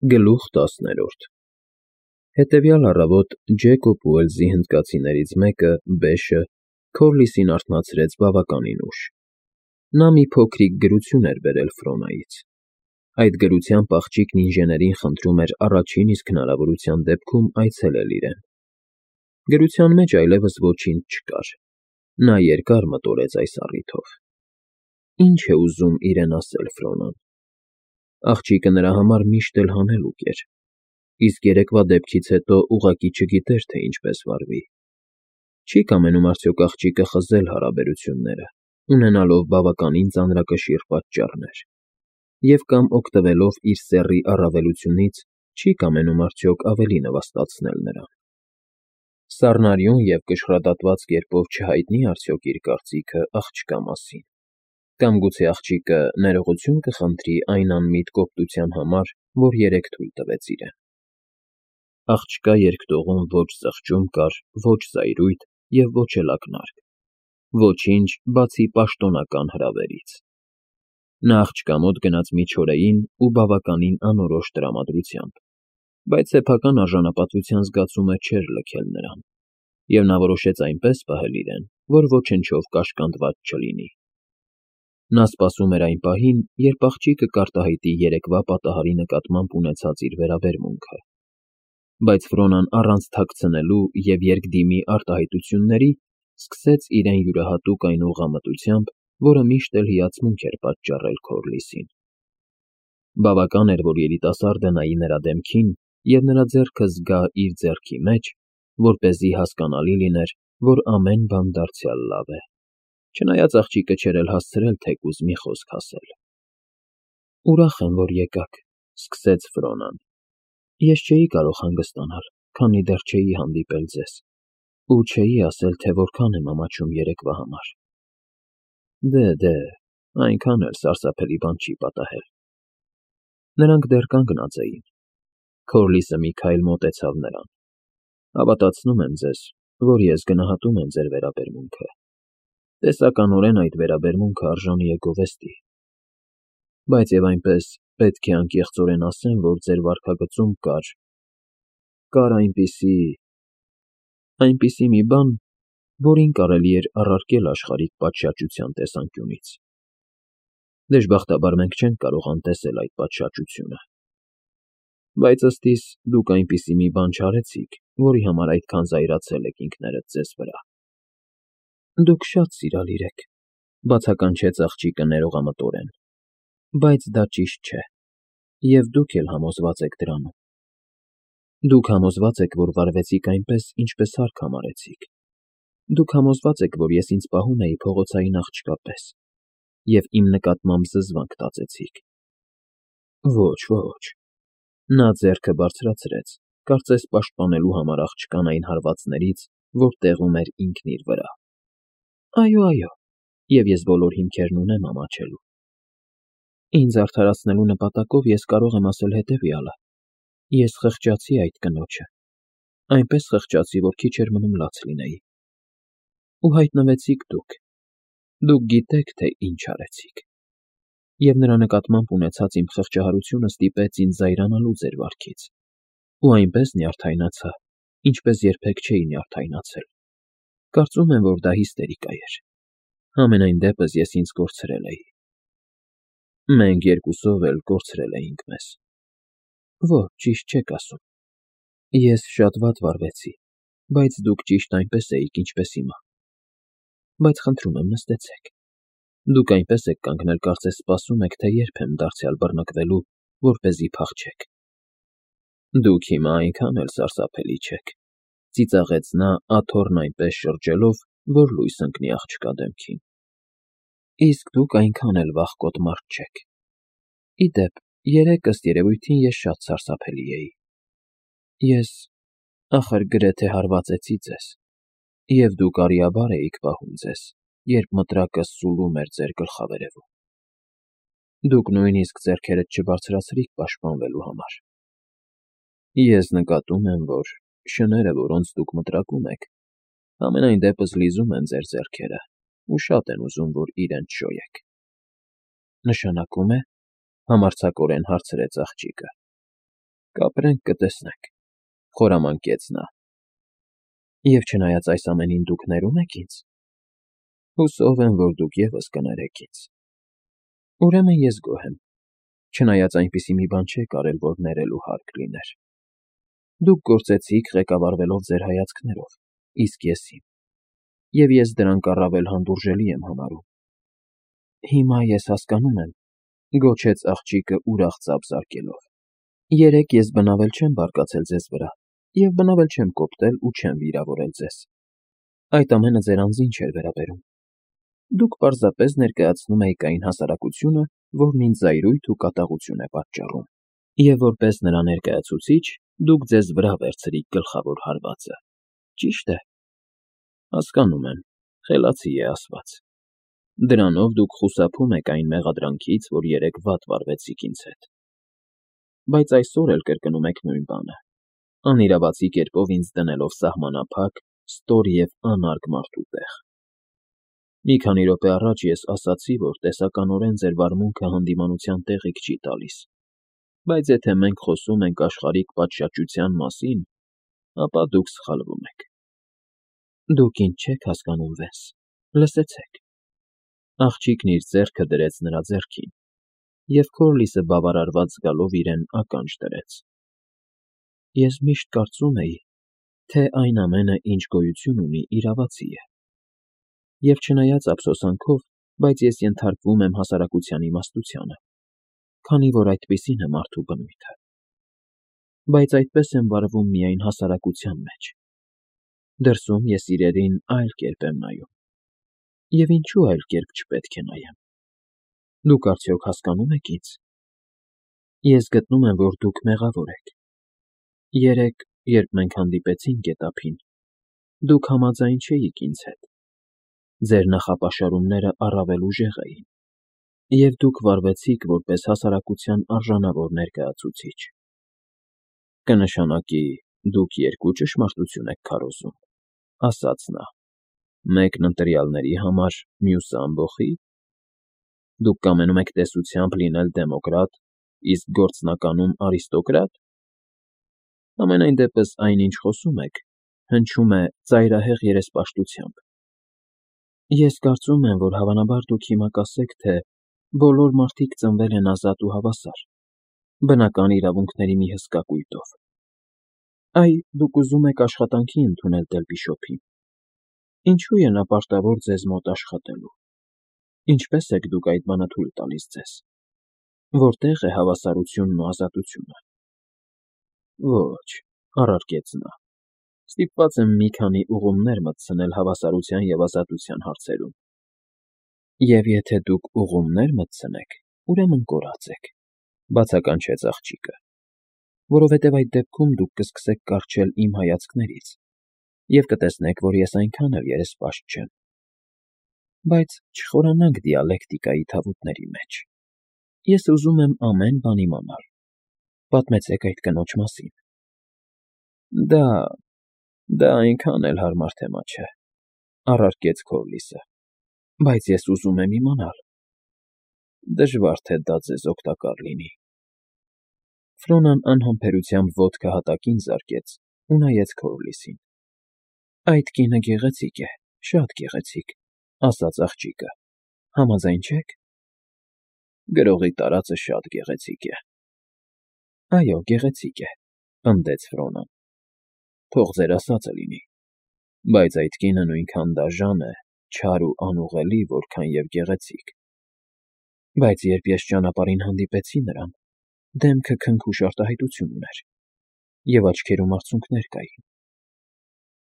Գլուխ 10 Հետևյալ առավոտ Ջեկոբ Ուելսի հնդկացիներից մեկը՝ Բեշը, Քորլիսին արթնացրեց բավականին ուշ. նա մի փոքրիկ գրություն էր բերել Ֆրոնայից. այդ գրությամբ աղջիկն ինժեներին խնդրում էր առաջին իսկ հնարավորության դեպքում այցելել իրեն։ Գրության մեջ այլևս ոչինչ չկար, նա երկար մտորեց այս առիթով. ինչ է ուզում իրեն ասել Ֆրոնան։ Աղջիկը նրա համար միշտ էլ հանելուկ էր, իսկ երեկվա դեպքից հետո ուղղակի չգիտեր, թե ինչպես վարվի։ Չի կամենում արդյոք աղջիկը խզել հարաբերությունները, ունենալով բավականին ծանրակշիռ պատճառներ, և կամ օգտվելով իր սեռի առավելությունից, չի կամենում արդյոք ավելի նվաստացնել նրան։ Սառնարյուն և կշռադատված կերպով չհայտնի՞ արդյոք իր կարծիքը աղջկա մասին, կամ գուցե աղջիկը ներողություն կխնդրի այն անմիտ կոպտության համար, որ երեկ թույլ տվեց իրեն։ Աղջկա երգտողում ոչ զղջում կար, ոչ զայրույթ և ոչ էլ ակնարկ, ոչինչ, բացի պաշտոնական հրավերից։ Նա աղջկա մոտ գնաց մի չորեին ու բավականին անորոշ տրամադրությամբ, բայց սեփական արժանապատվության զգացումը չէր լքել նրան, և նա որոշեց այնպես պահել իրեն, որ ոչնչով կաշկանդված չլինի։ Նա սպասում էր այն պահին, երբ աղջիկը կարտահայտի երեկվա պատահարի նկատմամբ ունեցած իր վերաբերմունքը, բայց Ֆրոնան առանց թաքցնելու և երկդիմի արտահայտությունների սկսեց իրեն յուրահատուկ այն ուղղամտությամբ, որը միշտ էլ հիացմունք էր պատճառել Քորլիսին։ Բավական էր, որ երիտասարդը նայի նրա դեմքին և նրա ձեռքը զգա իր ձեռքի մեջ, որպեսզի հասկանալի լիներ, որ ամեն բան դարձյալ լավ է, չնայած աղջիկը չէր էլ հասցրել թեկուզ մի խոսք ասել։ «Ուրախ եմ, որ եկաք», ֊ սկսեց Ֆրոնան։ «Ես չէի կարող հանգստանալ, քանի դեռ չէի հանդիպել ձեզ, ու չէի ասել, թե որքան եմ ամաչում երեկվա համար»։ Դե, այնքան էլ սարսափելի բան չի պատահել։ Նրանք դեռ կանգնած էին։ Քորլիսը մի քայլ մոտեցավ նրան։ Հավատացնում եմ ձեզ, որ ես գնահատում եմ ձեր վերաբերմունքը։ Տեսականորեն այդ վերաբերմունքը արժանի է գովեստի։ Բայց և այնպես պետք է անկեղծորեն ասեմ, որ ձեր վարքագծում կար այնպիսի մի բան, որին կարելի էր առարկել աշխարհիկ պատշաճության տեսանկյունից։ Դժբախտաբար մենք չենք կարող անտեսել այդ պատշաճությունը։ Բայց ըստ իս դուք այնպիսի մի բան չարեցիք, որի համար այդքան զայրացել եք ինքներդ ձեզ վրա։ Դուք շատ սիրալիր եք, ֊ բացականչեց աղջիկը ներողամտորեն, ֊ բայց դա ճիշտ չէ, և դուք էլ համոզված եք դրանում։ Դուք համոզված եք, որ վարվեցիք այնպես, ինչպես հարկ համարեցիք։ Դուք համոզված եք, որ ես ինձ պահում էի փողոցային աղջկա պես, և իմ նկատմամբ զզվանք տածեցիք։ Ոչ։ Նա ձեռքը բարձրացրեց, կարծես պաշտպանելու համար աղջկան այն հարվածներից, որ տեղում էր ինքն իր վրա։ Այո, և ես բոլոր հիմքերն ունեմ ամաչելու։ Ինձ արդարացնելու նպատակով ես կարող եմ ասել հետևյալը. ես խղճացի այդ կնոջը, այնպես խղճացի, որ քիչ էր մնում լաց լինեի։ Ու հայտնվեցիք դուք։ Դուք գիտեք, թե ինչ արեցիք։ Եվ նրա նկատմամբ ունեցած իմ խղճահարությունը ստիպեց ինձ զայրանալու ձեր վարքից, ու այնպես նյարդայնացա, ինչպես երբեք չէի նյարդայնացել։ Կարծում եմ, որ դա հիստերիկա էր։ Համենայն դեպս ես ինձ կորցրել էի։ Մենք երկուսով էլ կորցրել էինք մեզ։ Ոչ, ճիշտ չեք ասում։ Ես շատ վատ վարվեցի, բայց դուք ճիշտ այնպես էիք, ինչպես հիմա։ Բայց խնդրում եմ, նստեցեք։ Դուք այնպես եք կանգնել, կարծես սպասում եք, թե երբ եմ դարձյալ բռնկվելու, որպեսզի փախչեք։ Դուք հիմա այնքան էլ սարսափելի չեք, ֊ ծիծաղեց նա աթոռն այնպես շրջելով, որ լույս ընկնի աղջկա դեմքին։ Իսկ դուք այնքան էլ վախկոտ մարդ չեք։ Ի դեպ, երեկ ըստ երևույթին ես շատ սարսափելի էի։ Ես, ախր, գրեթե հարվածեցի ձեզ, և դուք արիաբար էիք պահում ձեզ, երբ մտրակը սուլում էր ձեր գլխավերևում։ Դուք նույնիսկ ձեռքերդ չբարձրացրիք պաշտպանվելու համար։ Ես նկատում եմ, որ շները, որոնց դուք մտրակում եք, համենայն դեպս լիզում են ձեր ձեռքերը ու շատ են ուզում, որ իրենց շոյեք։ Նշանակում է, ֊ համարձակորեն հարցրեց աղջիկը, Կապրենք, կտեսնենք, խորամանկեց նա։ Եվ չնայած այս ամենին դուք ներում եք ինձ, հուսով եմ, որ դուք ևս կներեք ինձ։ Ուրեմն ես գոհ եմ, չնայած այնպիսի մի բան չեք արել, որ ներելու հարկ լիներ։ Դուք գործեցիք ղեկավարվելով ձեր հայացքներով, իսկ ես իմ, և ես դրանք առավել հանդուրժելի եմ համարում։ Հիմա ես հասկանում եմ, գոչեց աղջիկը ուրախ ծափ զարկելով։ Երեկ ես բնավել չեմ բարկացել ձեզ վրա, և բնավել չեմ կոպտել ու չեմ վիրավորել ձեզ։ Այդ ամենը ձեր անձին չէր վերաբերում։ Դուք պարզապես ներկայացնում էիք այն հասարակությունը, որն ինձ զայրույթ ու կատաղություն է պատճառում, և որպես նրա ներկայացուցիչ դուք ձեզ վրա վերցրիք գլխավոր հարվածը։ Ճիշտ է։ Հասկանում եմ, խելացի է ասված։ Դրանով դուք խուսափում եք այն մեղադրանքից, որ երեկ վատ վարվեցիք ինձ հետ։ Բայց այսօր էլ կրկնում եք նույն բանը, անիրավացի կերպով ինձ դնելով սահմանափակ, ստոր և անարգ մարդու տեղ։ Մի քանի րոպե առաջ ես ասացի, որ տեսականորեն ձեր վարմունքը հանդիմանության տեղիք չի տալիս, բայց եթե մենք խոսում ենք աշխարհիկ պատշաճության մասին, ապա դուք սխալվում եք։ Դուք ինձ չեք հասկանում, Վենս, լսեցեք։ Աղջիկն իր ձեռքը դրեց նրա ձեռքին, և Քորլիսը բավարարված զգալով իրեն ականջ դրեց։ Ես միշտ կարծում էի, թե այն ամենը, ինչ գոյություն ունի, իրավացի է։ Եվ չնայած ափսոսանքով, բայց ես ենթարկվում եմ հասարակության իմաստությանը, քանի որ այդպիսին է մարդու բնույթը։ Բայց այդպես եմ վարվում միայն հասարակության մեջ։ Դրսում ես իրերին այլ կերպ եմ նայում։ Եվ ինչու այլ կերպ չպետք է նայեմ։ Դուք արդյոք հասկանում եք ինձ։ Ես գտնում եմ, որ դուք մեղավոր եք։ Երեկ, երբ մենք հանդիպեցինք գետափին, դուք համաձայն չէիք ինձ հետ։ Ձեր նախապաշարումները առավել ուժեղ էին, և դուք վարվեցիք որպես հասարակության արժանավոր ներկայացուցիչ։ Կնշանակի, դուք երկու ճշմարտություն եք քարոզում, ասաց նա, մեկն ընտրյալների համար, մյուսը ամբոխի։ Դուք կամենում եք տեսությամբ լինել դեմոկրատ, իսկ գործնականում արիստոկրատ։ Համենայն դեպս այն, ինչ խոսում եք, հնչում է ծայրահեղ երեսպաշտությամբ։ Ես կարծում եմ, որ հավանաբար դուք հիմա կասեք, թե բոլոր մարդիկ ծնվել են ազատ ու հավասար, բնական իրավունքների մի հսկա կույտով։ Այ, դուք ուզում եք աշխատանքի ընդունել Դելպիշոփին։ Ինչու է նա պարտավոր ձեզ մոտ աշխատելու։ Ինչպես եք դուք այդ բանը թույլ տալիս ձեզ։ Որտե՞ղ է հավասարությունն ու ազատությունը։ Ոչ, առարկեց նա։ Ստիպված եմ մի քանի ուղումներ մտցնել հավասարության և ազատության հարցերում։ Եվ եթե դուք ուղումներ մտցնեք, ուրեմն կորած եք, բացականչեց աղջիկը, որովհետև այդ դեպքում դուք կսկսեք կառչել իմ հայացքներից և կտեսնեք, որ ես այնքան էլ երեսպաշտ չեմ։ Բայց չխորանանք դիալեկտիկայի թավուտների մեջ։ Ես ուզում եմ ամեն բան իմանալ։ Պատմեցեք այդ կնոջ մասին։ Դա այնքան էլ հարմար թեմա չէ, առարկեց Քորլիսը, բայց ես ուզում եմ իմանալ։ Դժվար թե դա ձեզ օգտակար լինի։ Ֆրոնան անհամբերությամբ ոտքը հատակին զարկեց ու նայեց Քորլիսին։ Այդ կինը գեղեցիկ է, շատ գեղեցիկ, ասաց աղջիկը։ Համաձայն չե՞ք։ Գրողի տարածը շատ գեղեցիկ է։ Այո, գեղեցիկ է, պնդեց Ֆրոնան։ Թող ձեր ասածը լինի։ Բայց այդ կինը նույնքան դաժան է, չար ու անուղղելի, որքան և գեղեցիկ։ Բայց երբ ես ճանապարհին հանդիպեցի նրան, դեմքը քնքուշ արտահայտություն ուներ, և աչքերում արցունքներ կային։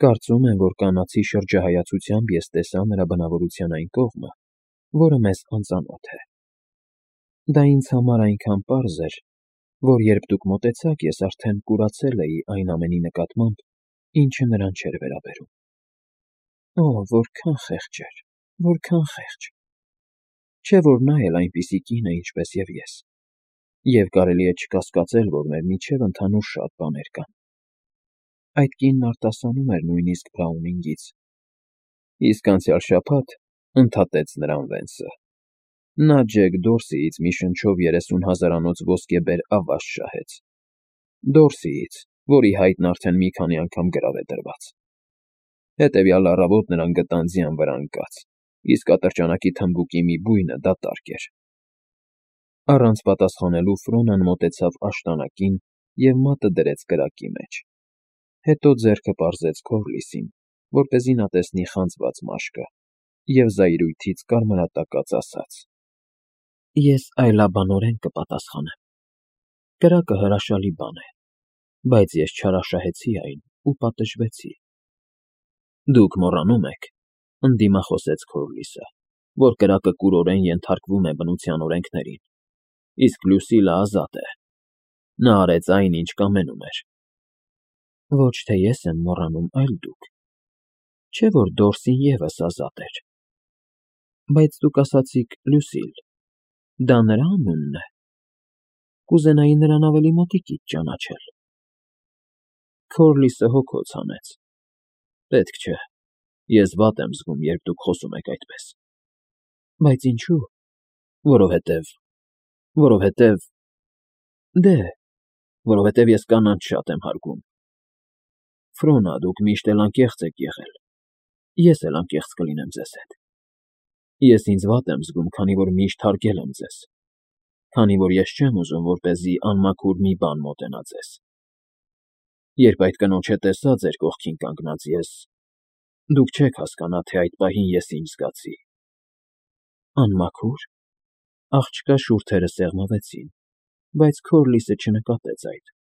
Կարծում եմ, որ կանացի շրջահայացությամբ ես տեսա նրա բնավորության այն կողմը, որը մեզ անծանոթ է։ Դա ինձ համար այնքան պարզ էր, որ երբ դուք մոտեցաք, ես արդեն կուրացել էի այն ամենի նկատմամբ, ինչը նրան չէր վերաբերում։ Օ, որքան խեղճ էր, որքան խեղճ։ Չէ՞ որ նա էլ այնպիսի կին է, ինչպես և ես, և կարելի է չկասկածել, որ մեր միջև ընդհանուր շատ բաներ կան։ Այդ կինն արտասանում էր նույնիսկ Բրաունինգից։ Իսկ անցյալ շաբաթ, ընդհատեց նրան Վենսը, նա Ջեք Դորսիից մի շնչով 30,000-անոց ոսկեբեր ավազ շահեց։ Դորսիից, որի հայտնը արդեն մի քանի անգամ գրավ է դրված։ Հետևյալ առավոտ նրան գտան ձյան վրա ընկած, իսկ ատրճանակի թմբուկի մի բույնը դատարկ էր։ Առանց պատասխանելու Ֆրոնան մոտեցավ աշտանակին և մատը դրեց կրակի մեջ։ Հետո ձեռքը պարզեց Քորլիսին, որպեսզի նա տեսնի խանձված մաշկը, և զայրույթից կարմրատակած ասաց. «Ես այլաբանորեն կպատասխանեմ։ Կրակը հրաշալի բան է, բայց ես չարաշահեցի այն ու պատժվեցի»։ «Դուք մոռանում եք,֊ ընդդիմախոսեց Քորլիսը,֊ որ կրակը կուրորեն ենթարկվում է բնության օրենքներին, իսկ Լյուսիլը ազատ է։ Նա արեց այն, ինչ կամենում էր»։ «Ոչ թե ես եմ մոռանում, այլ դուք։ Չէ՞ որ Դորսին ևս ազատ էր։ Բայց դուք ասացիք Լյուսիլ, դա նրա անունն է։ Կուզենայի նրան ավելի մոտիկից ճանաչել»։ Քորլիսը հոգոց հանեց։ «Պետք չէ, ես վատ եմ զգում, երբ դուք խոսում եք այդպես»։ «Բայց ինչու՞։ Որովհետև… Դե, որովհետև ես կանանց շատ եմ հարգում։ Ֆրոնա, դուք միշտ էլ անկեղծ եք եղել, ես էլ անկեղծ կլինեմ ձեզ հետ։ Ես ինձ վատ եմ զգում, քանի որ միշտ հարգել եմ ձեզ, քանի որ ես չեմ ուզում, որպեսզի անմաքուր մի բան մոտենա ձեզ։ Երբ այդ կնոջը տեսա ձեր կողքին կանգնած ես… Դուք չեք հասկանա, թե այդ պահին ես ինչ զգացի»։ «Անմաքո՞ւր»։ Աղջկա շուրթերը սեղմվեցին, բայց Քորլիսը չնկատեց այդ։